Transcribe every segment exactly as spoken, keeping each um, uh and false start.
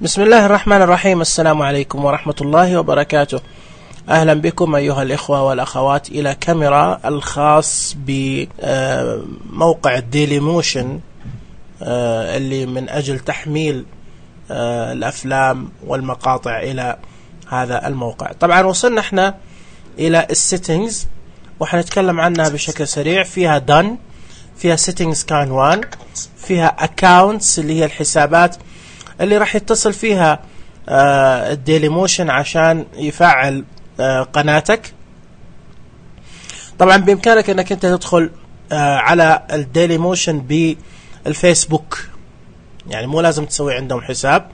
بسم الله الرحمن الرحيم. السلام عليكم ورحمة الله وبركاته. أهلا بكم أيها الإخوة والأخوات إلى كاميرا الخاص بموقع ديلي موشن اللي من أجل تحميل الأفلام والمقاطع إلى هذا الموقع. طبعا وصلنا احنا إلى السيتنجز وحنتكلم عنها بشكل سريع. فيها done، فيها settings كان وان، فيها accounts اللي هي الحسابات اللي راح يتصل فيها آه الديلي موشن عشان يفعل آه قناتك. طبعا بإمكانك انك انت تدخل آه على الديلي موشن بالفيسبوك، يعني مو لازم تسوي عندهم حساب،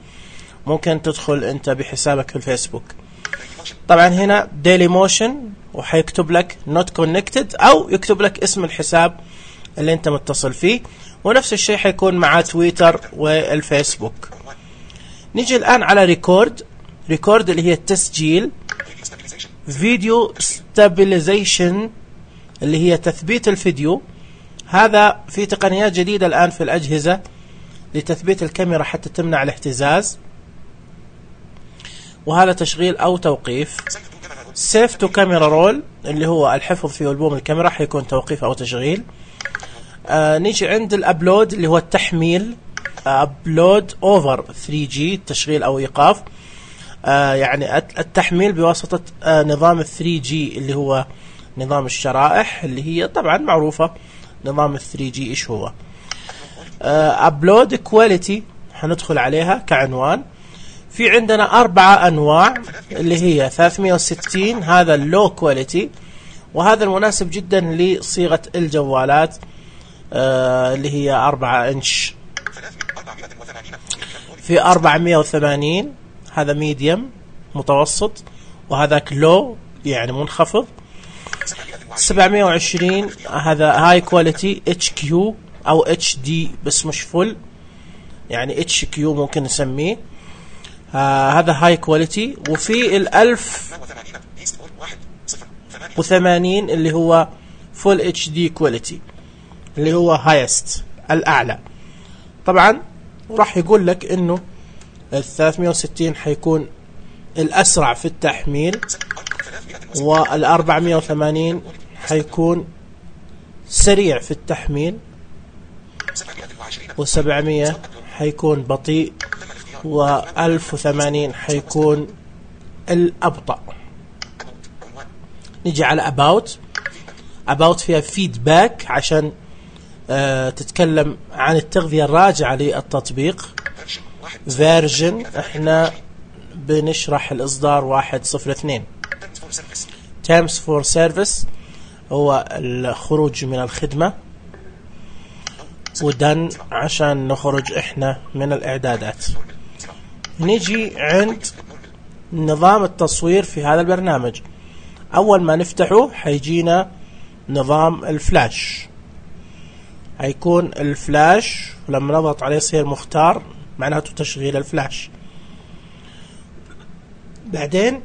ممكن تدخل انت بحسابك في الفيسبوك. طبعا هنا ديلي موشن وحيكتب لك not connected او يكتب لك اسم الحساب اللي انت متصل فيه، ونفس الشيء حيكون مع تويتر والفيسبوك. نيجي الآن على ريكورد. ريكورد اللي هي التسجيل. فيديو ستابيليزيشن اللي هي تثبيت الفيديو. هذا في تقنيات جديدة الآن في الأجهزة لتثبيت الكاميرا حتى تمنع الاهتزاز، وهذا تشغيل أو توقيف. سيف تو كاميرا رول اللي هو الحفظ في ألبوم الكاميرا، حيكون توقيف أو تشغيل. آه نيجي عند الأبلود اللي هو التحميل. أبلود أوفر ثري جي تشغيل أو إيقاف، آه يعني التحميل بواسطة آه نظام ثري جي اللي هو نظام الشرائح اللي هي طبعا معروفة. نظام ثري جي إيش هو؟ أبلود كواليتي حندخل عليها كعنوان. في عندنا أربعة أنواع اللي هي ثلاثمية وستين، هذا اللو كواليتي، وهذا المناسب جدا لصيغة الجوالات آه اللي هي أربعة إنش. في أربعمية وثمانين هذا ميديم متوسط، وهذاك لو يعني منخفض. سبعمية وعشرين هذا هاي كواليتي اتش كيو او اتش دي بس مش فل، يعني اتش كيو ممكن نسميه. آه هذا هاي كواليتي. وفي الألف وثمانين اللي هو فول اتش دي كواليتي اللي هو هايست الأعلى. طبعا راح يقول لك انه الثلاثمية وستين حيكون الاسرع في التحميل، والأربعمية وثمانين حيكون سريع في التحميل، وسبعمية حيكون بطيء، وألف وثمانين حيكون الأبطأ. نجي على about. about فيها feedback عشان آه تتكلم عن التغذية الراجعة للتطبيق. version احنا بنشرح الإصدار واحد صفر اثنين. terms for service هو الخروج من الخدمة. ودن عشان نخرج احنا من الإعدادات. نيجي عند نظام التصوير في هذا البرنامج. أول ما نفتحه حيجينا نظام الفلاش، هيكون الفلاش ولما نضغط عليه يصير مختار، معناته تشغيل الفلاش. بعدين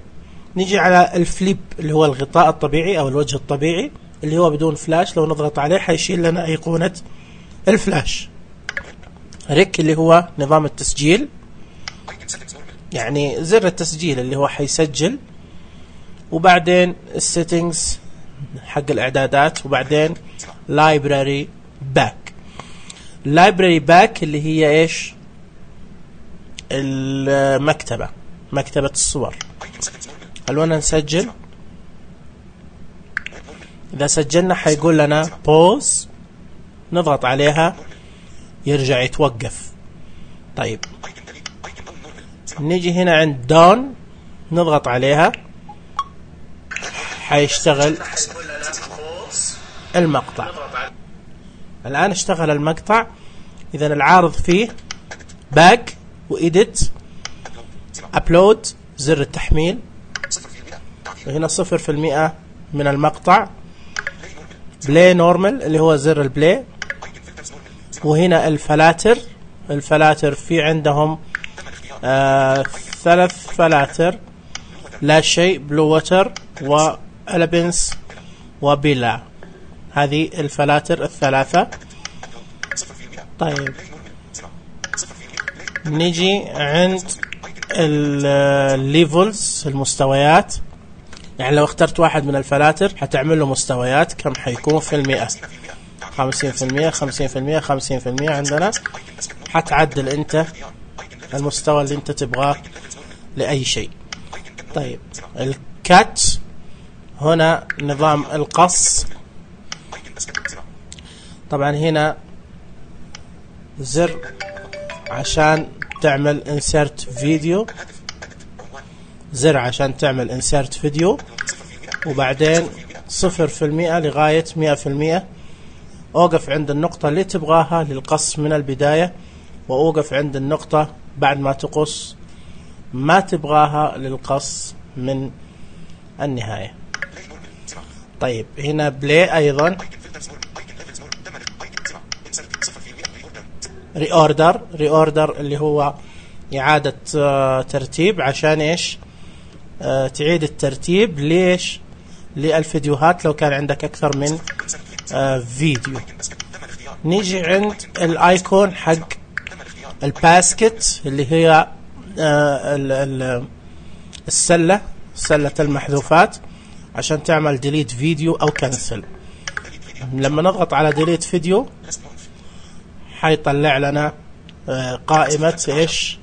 نيجي على الفليب اللي هو الغطاء الطبيعي او الوجه الطبيعي اللي هو بدون فلاش، لو نضغط عليه حيشيل لنا ايقونة الفلاش. ريك اللي هو نظام التسجيل، يعني زر التسجيل اللي هو حيسجل. وبعدين السيتنجز حق الاعدادات، وبعدين لايبراري باك. لايبراري باك اللي هي ايش؟ المكتبة، مكتبة الصور. خلونا نسجل. اذا سجلنا حيقول لنا pause، نضغط عليها يرجع يتوقف. طيب نيجي هنا عند دون، نضغط عليها حيشتغل المقطع. الآن اشتغل المقطع. إذا العارض فيه باك وإيديت، أبلود زر التحميل، وهنا صفر في المئة من المقطع. بلاي نورمال اللي هو زر البلاي. وهنا الفلاتر. الفلاتر في عندهم آه ثلاث فلاتر، لا شيء، بلو ووتر، وألبنس، وبلا. هذه الفلاتر الثلاثة. طيب نجي عند الليفلز المستويات. يعني لو اخترت واحد من الفلاتر حتعمل له مستويات كم حيكون في المئة، خمسين في المئة خمسين في المئة خمسين في المئة عندنا. حتعدل انت المستوى اللي انت تبغاه لأي شيء. طيب الكات هنا نظام القص. طبعا هنا زر عشان تعمل انسرت فيديو، زر عشان تعمل انسرت فيديو، وبعدين صفر في المئة لغاية مئة في المئة. اوقف عند النقطة اللي تبغاها للقص من البداية، واوقف عند النقطة بعد ما تقص ما تبغاها للقص من النهاية. طيب هنا بلاي ايضا ري اوردر، ري اوردر اللي هو اعادة آه ترتيب. عشان ايش؟ آه تعيد الترتيب ليش؟ للفيديوهات لو كان عندك اكثر من آه فيديو. نيجي عند الايكون حق الباسكت اللي هي آه السلة، سلة المحذوفات، عشان تعمل ديليت فيديو او كنسل. لما نضغط على ديليت فيديو حيطلع لنا قائمة ايش؟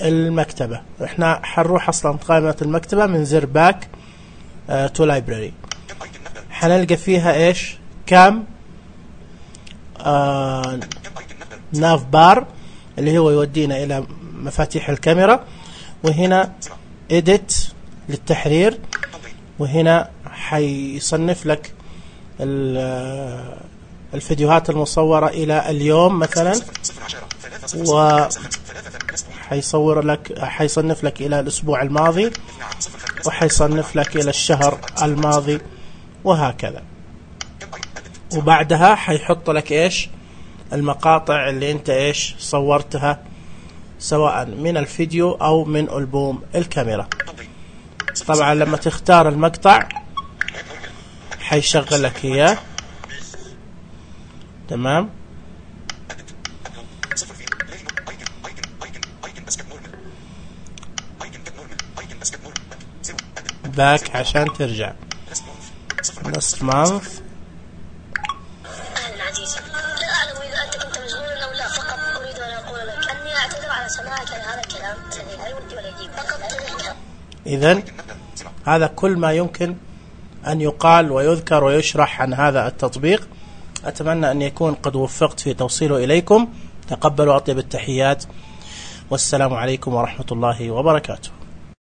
المكتبة. احنا حنروح اصلا قائمة المكتبة من زر باك تو لايبراري. حنلقى فيها ايش؟ كام آه ناف بار اللي هو يودينا الى مفاتيح الكاميرا، وهنا edit للتحرير، وهنا حيصنف لك الفيديوهات المصورة إلى اليوم مثلا، وحيصور لك حيصنف لك إلى الأسبوع الماضي، وحيصنف لك إلى الشهر الماضي، وهكذا. وبعدها حيحط لك إيش؟ المقاطع اللي أنت إيش صورتها، سواء من الفيديو أو من ألبوم الكاميرا. طبعا لما تختار المقطع حيشغل لك إياه. تمام. باك عشان ترجع. نص مانث. أهلا عزيزي، لا أعلم إذا أنت كنت مشغولا أو لا، فقط أريد أن أقول لك أني أعتذر على سماعك لهذا الكلام الذي لا يودي ولا يجيب. فقط تذكر. إذن هذا كل ما يمكن أن يقال ويذكر ويشرح عن هذا التطبيق. أتمنى أن يكون قد وفقت في توصيله إليكم. تقبلوا أطيب التحيات، والسلام عليكم ورحمة الله وبركاته.